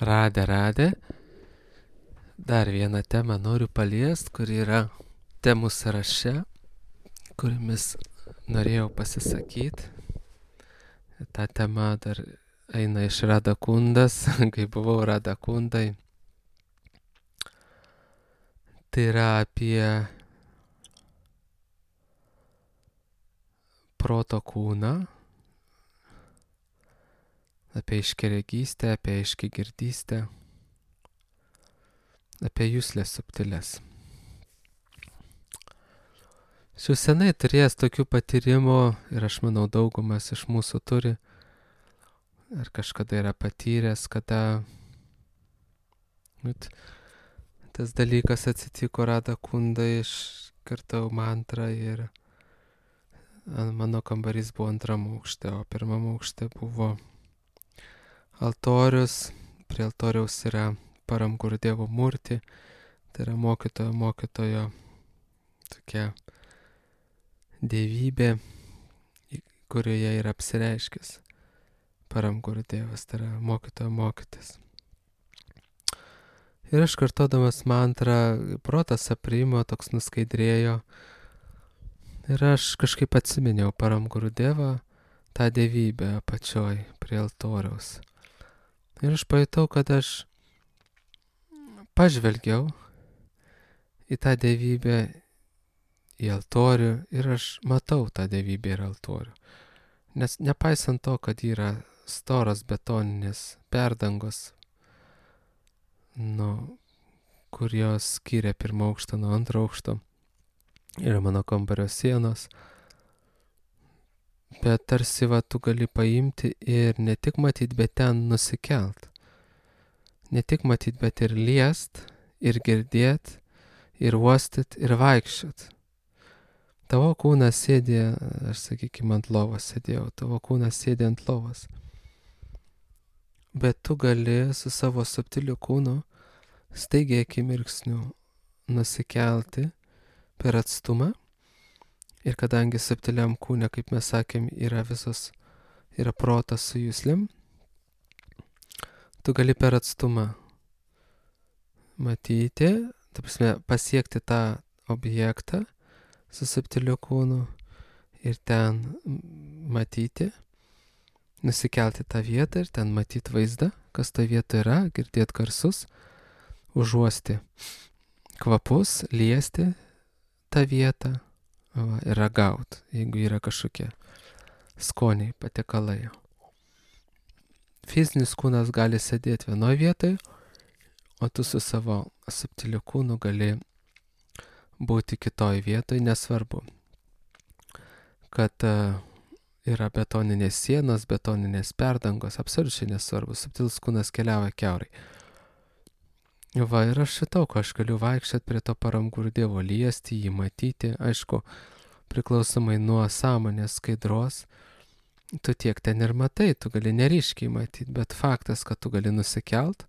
Radę. Dar vieną temą noriu paliest, kuri yra temų sąraše, kuriamis norėjau pasisakyti. Ta tema dar eina iš Radakundas, kai buvau Radakundai. Tai yra apie proto kūną, apie aiškiaregystę, apie aiškiagirdystę, apie juslės subtilės. Jau senai turėjęs tokių patyrimų ir aš manau daugumas iš mūsų turi ar kažkada yra patyręs, kada tas dalykas atsitiko Radakundai, iškartau mantrą ir mano kambarys buvo antram aukšte, o pirmam aukšte buvo altorius. Prie altoriaus yra Param Gurudevo Murti, tai yra mokytojo tokia dievybė, kurioje yra apsireiškęs Param Gurudevas, tai yra mokytojo mokytis. Ir aš kartodamas mantrą, protas aprimo, toks nuskaidrėjo. Ir aš kažkaip atsiminiau Param Gurudevą, tą dievybę apačioj prie altoriaus. Ir aš pajutau, kad aš pažvelgiau į tą dievybę, į altorių ir aš matau tą dievybę ir altorių. Nes nepaisant to, kad yra storos betoninės perdangos, kur jos skiria pirmą aukštą nuo antro aukšto, yra mano kambario sienos, bet tarsi tu gali paimti ir ne tik matyti, bet ten nusikelt. Ne tik matyti, bet ir liest, ir girdėt, ir uostyt, ir vaikščiot. Tavo kūnas sėdė, aš sakykime, ant lovos sėdėjau, tavo kūnas sėdė ant lovos. Bet tu gali su savo subtiliu kūnu staigiai akimirksniu nusikelti per atstumą. Ir kadangi subtiliam kūne, kaip mes sakėm, yra protas su juslėm, tu gali per atstumą matyti, ta prasme, pasiekti tą objektą su subtiliu kūnu ir ten matyti, nusikelti tą vietą ir ten matyti vaizdą, kas ta vieta yra, girdėti garsus, užuosti kvapus, liesti tą vietą ir ragauti, jeigu yra kažkokie skoniai, patiekalai. Fizinis kūnas gali sėdėti vienoje vietoje, o tu su savo subtiliu kūnu gali būti kitoje vietoje, nesvarbu, kad yra betoninės sienos, betoninės perdangos, absoliučiai nesvarbu, subtilus kūnas keliauja kiaurai. Ir aš šitau, ko aš galiu vaikščioti prie to Param Gurudevo, liesti jį, matyti, aišku, priklausomai nuo sąmonės skaidros, tu tiek ten ir matai, tu gali neryškiai matyti, bet faktas, kad tu gali nusikelt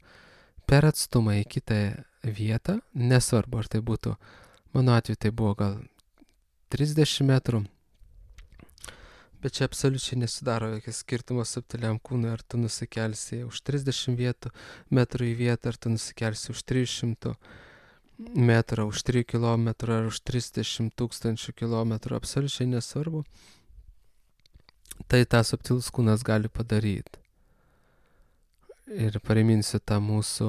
per atstumą į kitą vietą, nesvarbu, ar tai būtų, mano atveju tai buvo gal 30 metrų, bet čia absoliučiai nesidaro jokio skirtumo subtiliam kūnui, ar tu nusikelsi už 30 metrų į vietą, ar tu nusikelsi už 300 metrų, už 3 kilometrų, ar už 30 tūkstančių kilometrų, absoliučiai nesvarbu. Tai tą subtilus kūnas gali padaryti. Ir priminsiu tą mūsų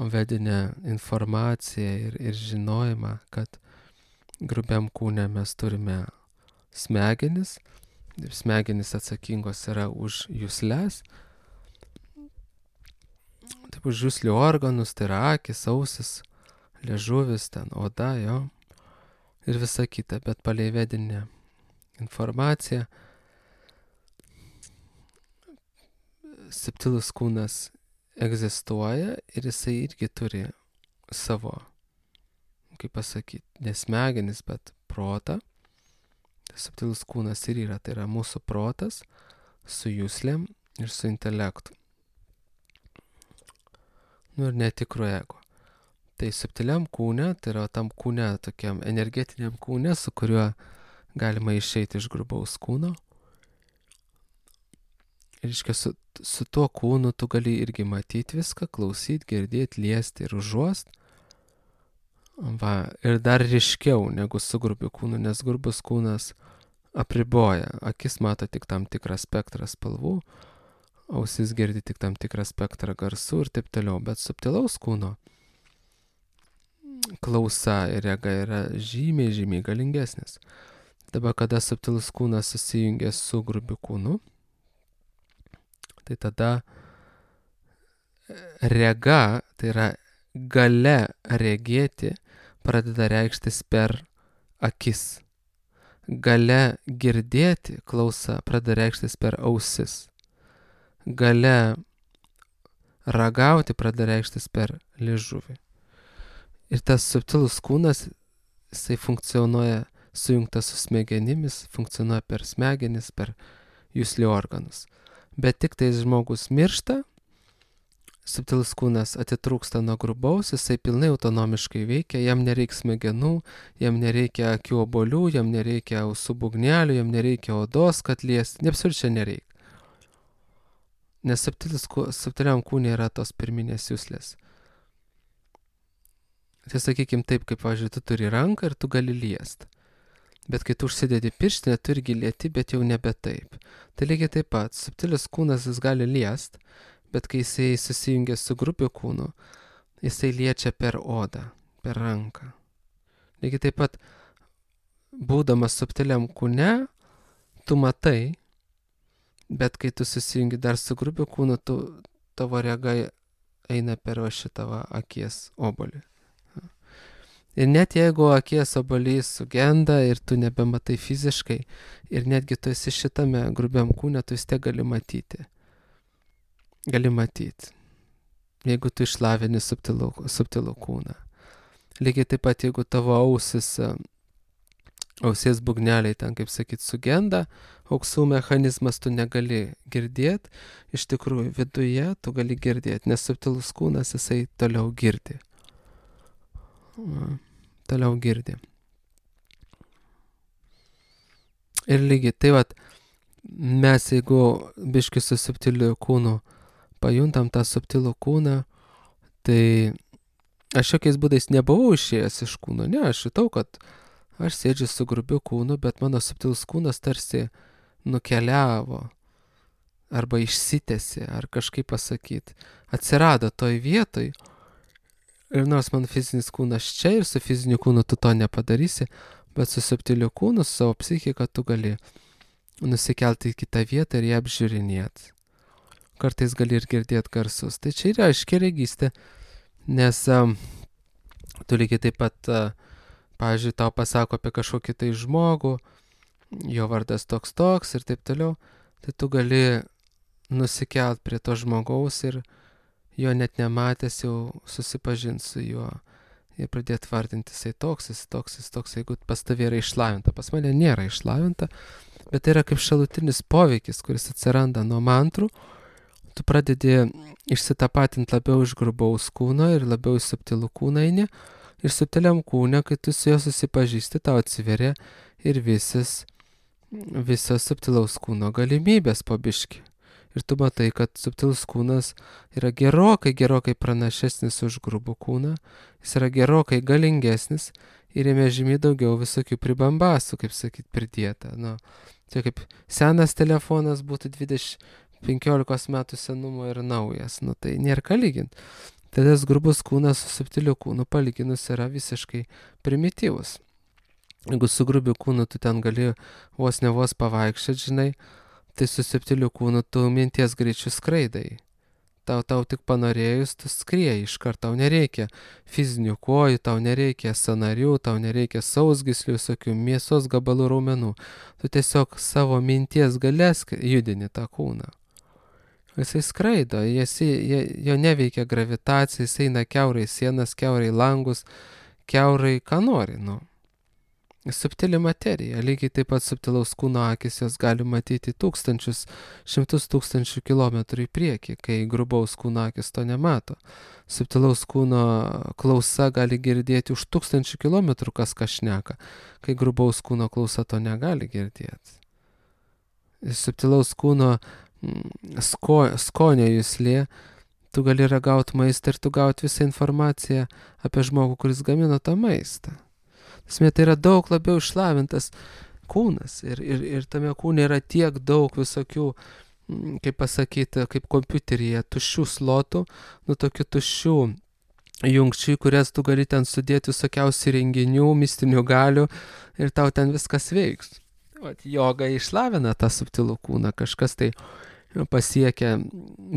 vedinę informaciją ir žinojimą, kad grubiam kūne mes turime smegenis. Smegenis atsakingos yra už jusles. Taip, už juslių organus, tai yra akis, ausis, liežuvis, ten oda, jo. Ir visa kita, bet palei vedinę informaciją subtilus kūnas egzistuoja ir jisai irgi turi savo, kaip pasakyti, ne smegenis, bet protą. Subtilus kūnas ir yra, tai yra mūsų protas su juslėm ir su intelektu. Ir netikru ego. Tai subtiliam kūne, tai yra tam kūne, tokiam energetiniam kūne, su kuriuo galima išeiti iš grubaus kūno. reiškia, su tuo kūnu tu gali irgi matyti viską, klausyti, girdėti, liesti ir užuost. Va, ir dar ryškiau negu su grubiu kūnu, nes grubus kūnas apriboja. Akis mato tik tam tikrą spektrą spalvų, ausis girdi tik tam tikrą spektrą garsų ir taip toliau. Bet subtilaus kūno klausa ir rega yra žymiai, žymiai galingesnis. Dabar, kada subtilus kūnas susijungia su grubiu kūnu, tai tada rega, tai yra galia regėti, pradeda reikštis per akis. Galia girdėti, klausa, pradeda reikštis per ausis. Galia ragauti, pradeda reikštis per liežuvį. Ir tas subtilus kūnas, jisai funkcionuoja sujungtas su smegenimis, funkcionuoja per smegenis, per juslį organus. Bet tik tai žmogus miršta, subtilus kūnas atitrūksta nuo grubaus, jisai pilnai autonomiškai veikia, jam nereikia smegenų, jam nereikia akių obuolių, jam nereikia ausų būgnelių, jam nereikia odos, kad liesti, absoliučiai nereikia. Nes subtiliam kūne yra tos pirminės juslės. Tai sakykim taip, kaip, pavyzdžiui, tu turi ranką ir tu gali liest. Bet kai tu užsidedi pirštinę, tu irgi lieti, bet jau nebe taip. Tai lygiai taip pat, subtilis kūnas jis gali liest, bet kai jisai susijungia su grubiu kūnu, jisai liečia per odą, per ranką. Lygiai taip pat, būdamas subtiliam kūne, tu matai, bet kai tu susijungi dar su grubiu kūnu, tavo rega eina per šitą akies obuolį. Ir net jeigu akies obuolys sugenda ir tu nebematai fiziškai, ir netgi tu esi šitame grubiam kūne, tu vis tiek gali matyti. Gali matyti, jeigu tu išlavini subtilų kūną. Lygiai taip pat, jeigu tavo ausies būgneliai ten, kaip sakyt, sugenda, auksų mechanizmas tu negali girdėti, iš tikrųjų viduje tu gali girdėti, nes subtilus kūnas jisai toliau girdi. Toliau girdi. Ir lygiai, tai vat, mes jeigu biški su subtiliu kūnu pajuntam tą subtilų kūną, tai aš jokiais būdais nebuvau išėjęs iš kūno, ne, aš jutau, kad aš sėdžiu su grubiu kūnu, bet mano subtilus kūnas tarsi nukeliavo, arba išsitėsi, ar kažkaip pasakyti, atsirado toj vietoj. Ir nors man fizinis kūnas čia ir su fiziniu kūnu tu to nepadarysi, bet su subtiliu kūnu, su savo psichika tu gali nusikelti į kitą vietą ir ją apžiūrinėti. Kartais gali ir girdėti garsus. Tai čia yra aiški regystė, nes tu lygiai taip pat, pavyzdžiui, tau pasako apie kažkokį tai žmogų, jo vardas toks ir taip toliau, tai tu gali nusikelt prie to žmogaus ir jo net nematęs jau susipažinti su juo ir pradėti vardinti, jisai toks, jeigu pas tavai yra išlavinta. Pas mane nėra išlavinta, bet tai yra kaip šalutinis poveikis, kuris atsiranda nuo mantrų. Tu pradedi išsitapatinti labiau iš grubaus kūno ir labiau iš subtilų kūną eini. Ir subtiliam kūne, kai tu su juo susipažįsti, tau atsiveria ir visos subtilaus kūno galimybės po biškį. Ir tu matai, kad subtilus kūnas yra gerokai pranašesnis už grubų kūną, jis yra gerokai galingesnis ir jame žymiai daugiau visokių pribambasų, kaip sakyt, pridėta. Tai kaip senas telefonas būtų 15 metų senumo ir naujas, tai nėra ką lyginti. Tada grubus kūnas su subtiliu kūnu palyginus yra visiškai primityvus. Jeigu su grubiu kūnu tu ten gali vos ne vos pavaikščioti, žinai, tai su subtiliu kūnu tu minties greičiu skraidai. Tau tik panorėjus, tu skrieji iškart, tau nereikia fizinių kojų, tau nereikia sąnarių, tau nereikia sausgyslių, visokių mėsos gabalų raumenų. Tu tiesiog savo minties galės judini tą kūną. Jisai skraido, jo neveikia gravitacija, jisai eina kiaurai sienas, kiaurai langus, kiaurai ką nori, Subtili materija, lygiai taip pat subtilaus kūno akis jos gali matyti šimtus tūkstančių kilometrų į priekį, kai grubaus kūno akis to nemato. Subtilaus kūno klausa gali girdėti už 1000 kilometrų, kas šneka, kai grubaus kūno klausa to negali girdėti. Subtilaus kūno skonio juslė, tu gali ragauti maistą ir tu gauti visą informaciją apie žmogų, kuris gamino tą maistą. Tai yra daug labiau išlavintas kūnas ir tame kūne yra tiek daug visokių, kaip pasakyti, kaip kompiuteryje, tuščių slotų, tokių tuščių jungčių, kurias tu gali ten sudėti visokiausių renginių, mistinių galių ir tau ten viskas veiks. Joga išlavina tą subtilų kūną, kažkas tai pasiekia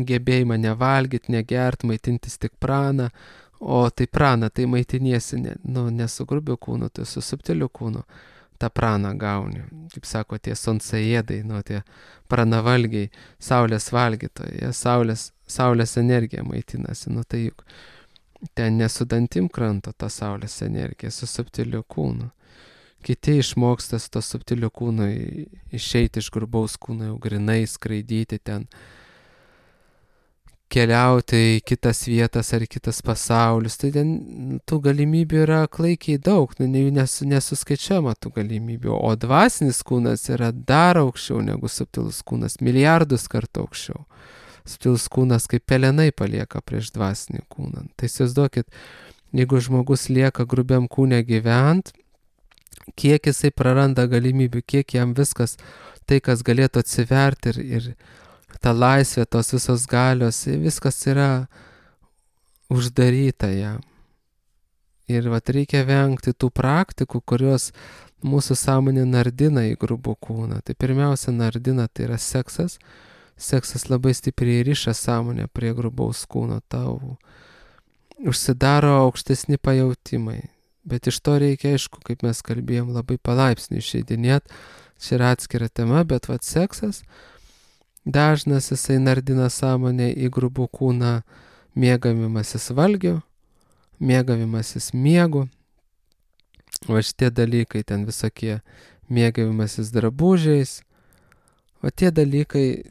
gebėjimą nevalgyti, negert, maitintis tik praną, o tai praną, tai maitiniesi ne su grubiu kūnu, tai su subtiliu kūnu. tą praną gauni. Kaip sako tie sonsaėdai, tie pranavalgiai, saulės valgytojai, saulės energija maitinasi. Tai juk ten nesu dantim kranto ta saulės energija, su subtiliu kūnu. Kiti išmoksta su to subtiliu kūnu išeiti iš grubaus kūno, jau grinai skraidyti ten, keliauti į kitas vietas ar kitas pasaulius. Tai ten tų galimybių yra klaikiai daug, nesuskaičiama tų galimybių. O dvasinis kūnas yra dar aukščiau negu subtilus kūnas, milijardus kartų aukščiau. Subtilus kūnas kaip pelenai palieka prieš dvasinį kūną. Tai įsivaizduokit, jeigu žmogus lieka grubiam kūne gyvent, kiek jisai praranda galimybių, kiek jam viskas, tai kas galėtų atsiverti ir ta laisvė, tos visos galios, viskas yra uždaryta jam. Ir reikia vengti tų praktikų, kurios mūsų sąmonė nardina į grubų kūną. Tai pirmiausia nardina, tai yra seksas. Seksas labai stipriai riša sąmonę prie grubaus kūno. Tau užsidaro aukštesni pajautimai. Bet iš to reikia, aišku, kaip mes kalbėjom, labai palaipsniui išeidinėt. Čia yra atskira tema, bet seksas dažnas jisai nardina sąmonę į grubų kūną, mėgavimasis valgiu, mėgavimasis miegu. O šitie dalykai ten visokie mėgavimasis drabužiais. O tie dalykai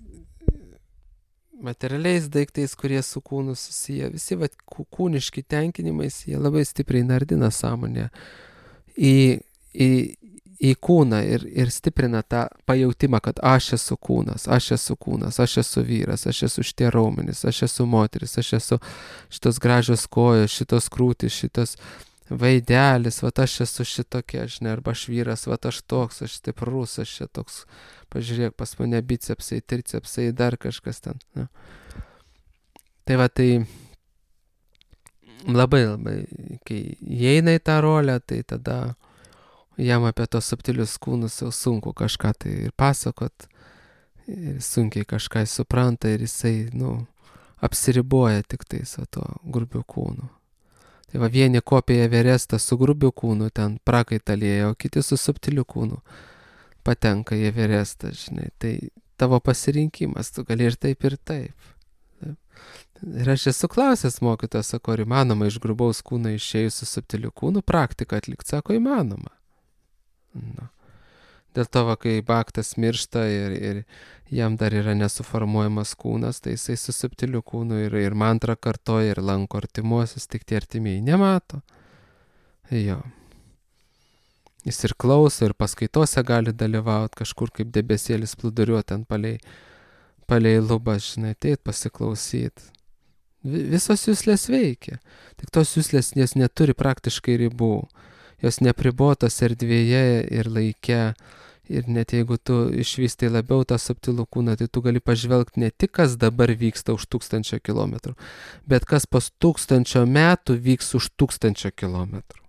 materialiais daiktais, kurie su kūnu susiję, visi kūniški tenkinimais, jie labai stipriai nardina sąmonę į kūną ir stiprina tą pajautimą, kad aš esu kūnas, aš esu vyras, aš esu šitie raumenys, aš esu moteris, aš esu šitos gražios kojos, šitos krūtis, šitos vaidelis, aš esu šitokia, arba aš vyras, aš toks, aš stiprus, aš čia toks, pažiūrėk, pas mane bicepsai, tricepsai, dar kažkas ten. Ne? Tai labai, kai įeina į tą rolę, tai tada jam apie tos subtilius kūnus jau sunku kažką tai ir pasakot, ir sunkiai kažką supranta ir jisai, apsiriboja tik tai su to grubiu kūnu. Tai vieni kopija Everestą su grubiu kūnu ten prakaitalėja, o kiti su subtiliu kūnu patenka į Everestą, žinai. Tai tavo pasirinkimas, tu gali ir taip, ir taip. Ir aš esu klausęs mokytojas, sako, ar įmanoma iš grubaus kūno išėjus su subtiliu kūnu praktiką atlikti, sako, įmanoma. Dėl to, kai baktas miršta ir jam dar yra nesuformuojamas kūnas, tai jisai su subtiliu kūnu ir mantrą kartoja ir lanko artimuosius, tik tie artimieji nemato. Jo. Jis ir klauso, ir paskaitose gali dalyvauti kažkur kaip debesėlis plūduriuoti ten palei lubą, žinai, ateit pasiklausyti. Visos juslės veikia. Tik tos juslės jas neturi praktiškai ribų. Jos nepribotos erdvėje ir laike. Ir net jeigu tu išvystai labiau tą subtilų kūną, tai tu gali pažvelgti ne tik, kas dabar vyksta už 1000 kilometrų, bet kas po 1000 metų vyks už 1000 kilometrų.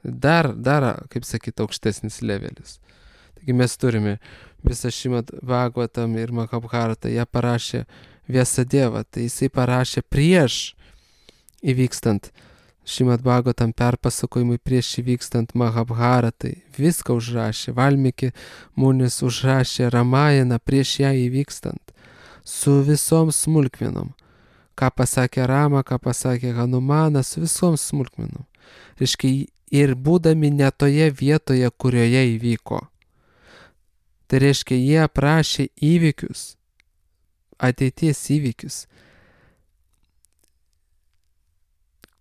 Dar, kaip sakyti, aukštesnis levelis. Taigi mes turime visą Šrimad Bhagavatam ir Mahabharatą, ją parašė Vyasadeva, tai jisai parašė prieš įvykstant Šrimad Bhagavatam perpasakojimui, prieš įvykstant Mahabharatai, viską užrašė, Valmiki Munis užrašė Ramajaną prieš ją įvykstant, su visom smulkmenom. Ką pasakė Rama, ką pasakė Hanumanas, su visom smulkmenom. Reiškia, ir būdami ne toje vietoje, kurioje įvyko. Tai reiškia, jie aprašė įvykius, ateities įvykius,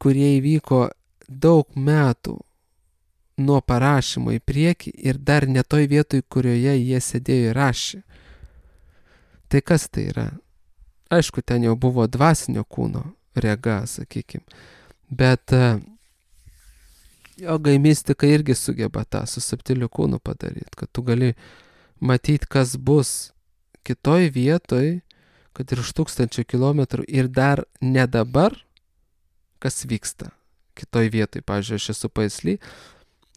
kurie įvyko daug metų nuo parašymo į priekį ir dar ne toj vietoj, kurioje jie sėdėjo ir rašė. Tai kas tai yra? Aišku, ten jau buvo dvasinio kūno rega, sakykime. Bet jogai mistika irgi sugeba tą su subtiliu kūnu padaryti, kad tu gali matyti, kas bus kitoj vietoj, kad ir už 1000 kilometrų ir dar ne dabar, kas vyksta kitoj vietoj. Pavyzdžiui, aš esu Paisly,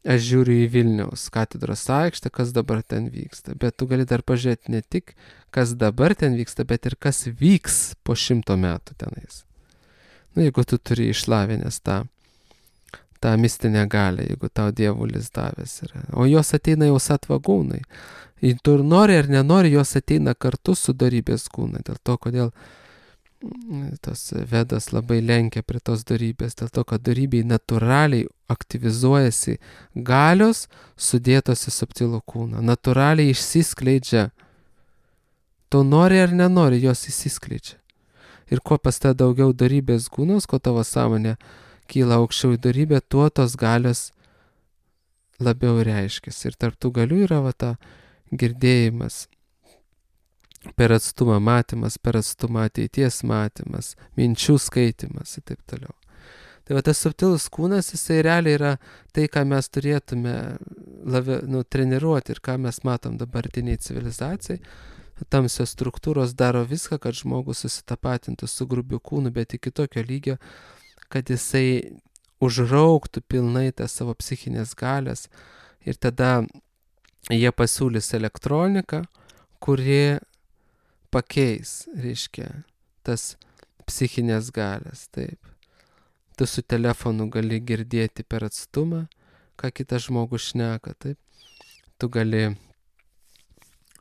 aš žiūriu į Vilniaus katedros aikštę, kas dabar ten vyksta. Bet tu gali dar pažiūrėti ne tik, kas dabar ten vyksta, bet ir kas vyks po 100 metų tenais. Jeigu tu turi išlavinęs tą mistinę galią, jeigu tau dievulis davęs yra. O jos ateina jau satvagūnai. Ir tu nori ar nenori, jos ateina kartu su dorybės kūna. Dėl to, kodėl tos vedas labai lenkia prie tos dorybės. Dėl to, kad dorybei natūraliai aktyvizuojasi galios sudėtos į subtilų kūną. Natūraliai išsiskleidžia. Tu nori ar nenori, jos išsiskleidžia. Ir kuo pas ta daugiau dorybės kūnos, kuo tavo sąmonė kyla aukščiau į dorybę, tuo tos galios labiau reiškiasi. Ir tarp tų galių yra ta girdėjimas, per atstumą matymas, per atstumą ateities matymas, minčių skaitimas ir taip toliau. Tai tas subtilus kūnas, jisai realiai yra tai, ką mes turėtume labiau treniruoti ir ką mes matom dabartiniai civilizacijai. Tamsios struktūros daro viską, kad žmogus susitapatintų su grubiu kūnu, bet iki tokio lygio, kad jisai užrauktų pilnai tas savo psichinės galias ir tada jie pasiūlys elektroniką, kuri pakeis, reiškia, tas psichinės galias, taip. Tu su telefonu gali girdėti per atstumą, ką kitas žmogus šneka, taip. Tu gali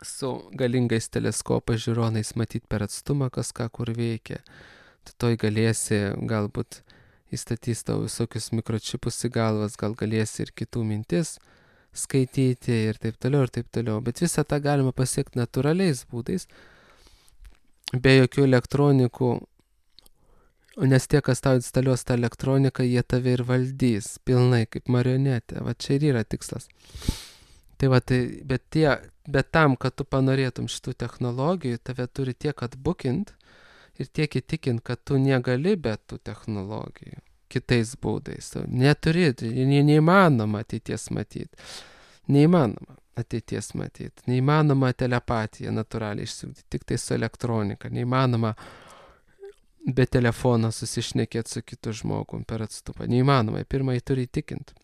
su galingais teleskopais žiūronais matyti per atstumą, kas ką kur veikia. Tu toj galėsi galbūt įstatys tau visokius mikročipus į galvas, gal galėsi ir kitų mintis skaityti ir taip toliau, ir taip toliau. Bet visą tą galima pasiekti natūraliais būdais, be jokių elektronikų, nes tie, kas tau instaliuos tą elektroniką, jie tave ir valdys pilnai kaip marionetė. Va čia ir yra tikslas. Tai va, bet tam, kad tu panorėtum šitų technologijų, tave turi tiek atbukint ir tiek įtikint, kad tu negali be tų technologijų kitais būdais. Neturi, neįmanoma ateities matyti. Neįmanoma ateities matyti. Neįmanoma telepatiją natūraliai išsiugdyti, tik tai su elektronika. Neįmanoma be telefono susišnekėti su kitu žmogum per atstumą. Neįmanoma, pirmai turi įtikinti.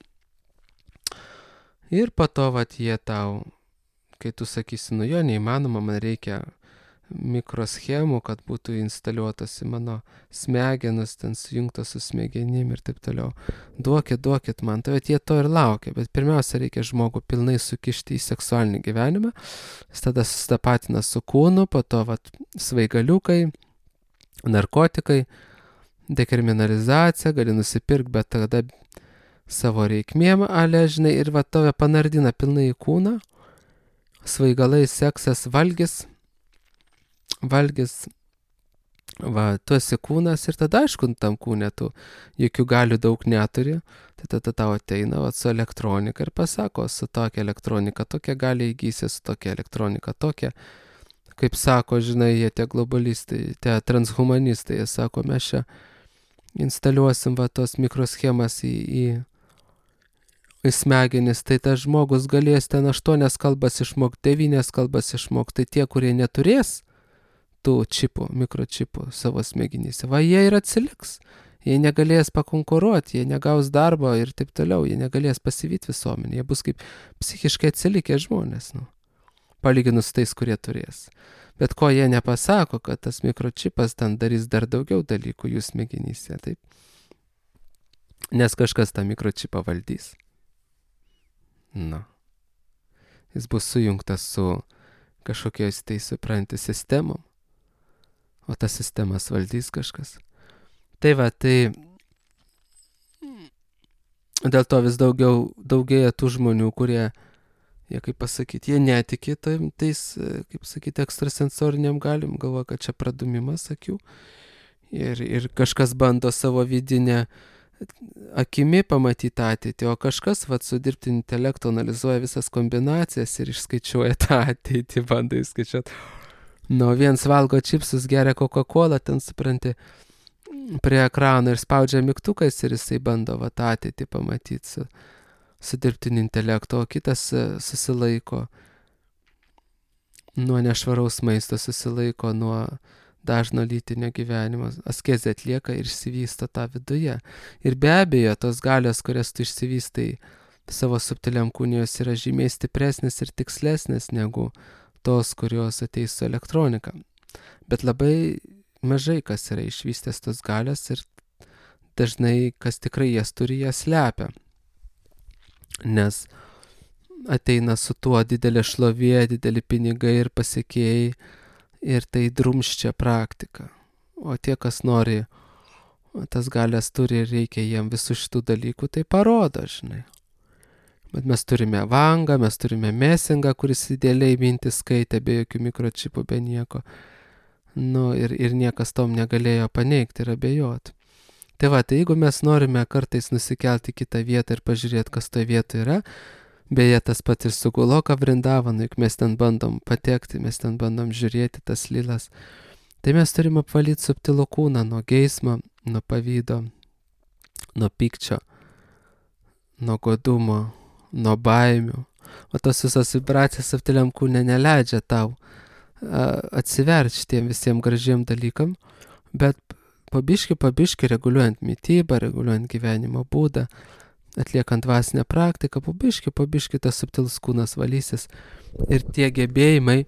Ir po to, jie tau, kai tu sakysi, jo, neįmanoma, man reikia mikroschemų, kad būtų instaliuotas į mano smegenus, ten sujungtos su smegenim ir taip toliau. Duokit man, tai jie to ir laukia, bet pirmiausia reikia žmogų pilnai sukišti į seksualinį gyvenimą, jis tada susitapatina su kūnu, po to svaigaliukai, narkotikai, dekriminalizacija, gali nusipirkti, bet tada savo reikmėm, žinai, ir tave panardina pilnai į kūną, svaigalai, seksas, valgis, tu esi kūnas ir tada, aišku, tam kūne tu jokių galių daug neturi, tai tada tau ateina su elektronika ir pasako, su tokia elektronika tokia gali įgysi, su tokia elektronika tokia. Kaip sako, žinai, jie tie globalistai, tie transhumanistai, jie sako, mes čia instaliuosim tos mikroschemas į smegenis, tai tas žmogus galės ten 8 kalbas išmokti, 9 kalbas išmokti, tai tie, kurie neturės tų čipų, mikročipų savo smegenyse, jie ir atsiliks, jie negalės pakonkuruoti, jie negaus darbo ir taip toliau, jie negalės pasivyti visuomenį, jie bus kaip psichiškai atsilikę žmonės, palyginus tais, kurie turės. Bet ko jie nepasako, kad tas mikročipas ten darys dar daugiau dalykų jų smegenyse, taip? Nes kažkas tą mikročipą valdys. Jis bus sujungtas su kažkokiais tai supranti sistemom, o tas sistemas valdys kažkas. Tai dėl to vis daugėja tų žmonių, kurie, kaip pasakyti, jie netiki tais, kaip sakyti, ekstrasensoriniam galim, galvoja, kad čia pradumimas akių ir kažkas bando savo vidinę akimi pamatyti ateitį, o kažkas su dirbtiniu intelektu analizuoja visas kombinacijas ir išskaičiuoja tą ateitį, bando išskaičiuoti. Viens valgo čipsus, geria Coca-Cola, ten supranti, prie ekrano ir spaudžia mygtukais ir jisai bando tą ateitį pamatyti su dirbtiniu intelektu, o kitas susilaiko nuo nešvaraus maisto, susilaiko nuo dažno lytinio gyvenimo, askezę atlieka ir išsivysto tą viduje. Ir be abejo, tos galios, kurias tu išsivystai savo subtiliam kūnui, jos yra žymiai stipresnės ir tikslesnės negu tos, kurios ateis su elektronika. Bet labai mažai kas yra išvystęs tos galios ir dažnai, kas tikrai jas turi, jas slepia. Nes ateina su tuo didelė šlovė, dideli pinigai ir pasiekėjai ir tai drumsčia praktiką. O tie, kas nori, tas galias turi ir reikia jiem visų šitų dalykų, tai parodo, žinai. Bet mes turime Vangą, mes turime Mesengą, kuris idealiai mintis skaitė, be jokių mikročipų, be nieko. Ir niekas tom negalėjo paneigti ir abejoti. Tai jeigu mes norime kartais nusikelti į kitą vietą ir pažiūrėti, kas toje vietoje yra, beje, tas pat ir su Guloka Vrindavanu, juk mes ten bandom patekti, mes ten bandom žiūrėti tas lilas, tai mes turime apvalyti subtilų kūną nuo geismo, nuo pavydo, nuo pykčio, nuo godumo, nuo baimių. O tos visos vibracijos subtiliam kūne neleidžia tau atsiverti šitiem visiems gražiem dalykam, bet pabiški reguliuojant mitybą, reguliuojant gyvenimo būdą, atliekant dvasinę praktiką, pabiški tas subtilus kūnas valysis ir tie gebėjimai,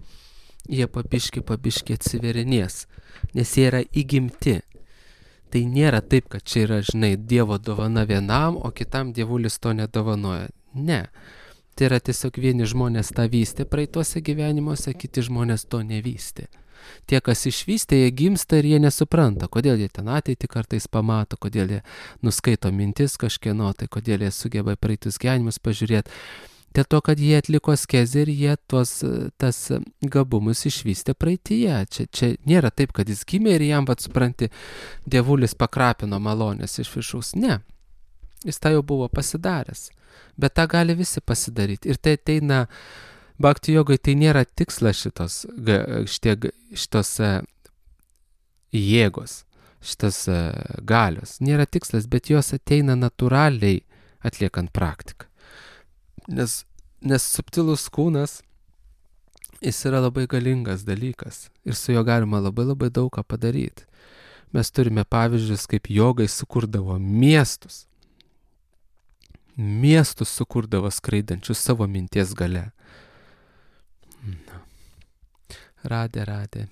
jie pabiški atsiverinės, nes jie yra įgimti. Tai nėra taip, kad čia yra, žinai, Dievo dovana vienam, o kitam dievulis to nedovanoja. Ne. Tai yra tiesiog vieni žmonės tą vystė praeituose gyvenimuose, kiti žmonės to nevystė. Tie, kas išvystė, jie gimsta ir jie nesupranta, kodėl jie ten ateitį kartais pamato, kodėl jie nuskaito mintis kažkieno, tai kodėl jie sugeba praeitus gyvenimus pažiūrėti. Dėl to, kad jie atliko askezę ir jie tas gabumus išvystė praeityje. Čia nėra taip, kad jis gimė ir jam, supranti, dievulis pakrapino malonės iš viršaus. Ne. Jis tą jau buvo pasidaręs. Bet tą gali visi pasidaryti. Ir tai ateina Bhakti jogai, tai nėra tikslas šitos jėgos, šitos galios. Nėra tikslas, bet jos ateina natūraliai atliekant praktiką. Nes subtilus kūnas, jis yra labai galingas dalykas ir su juo galima labai daug ką padaryti. Mes turime pavyzdžius, kaip jogai sukurdavo miestus. Miestus sukurdavo skraidančius savo minties gale. Radė.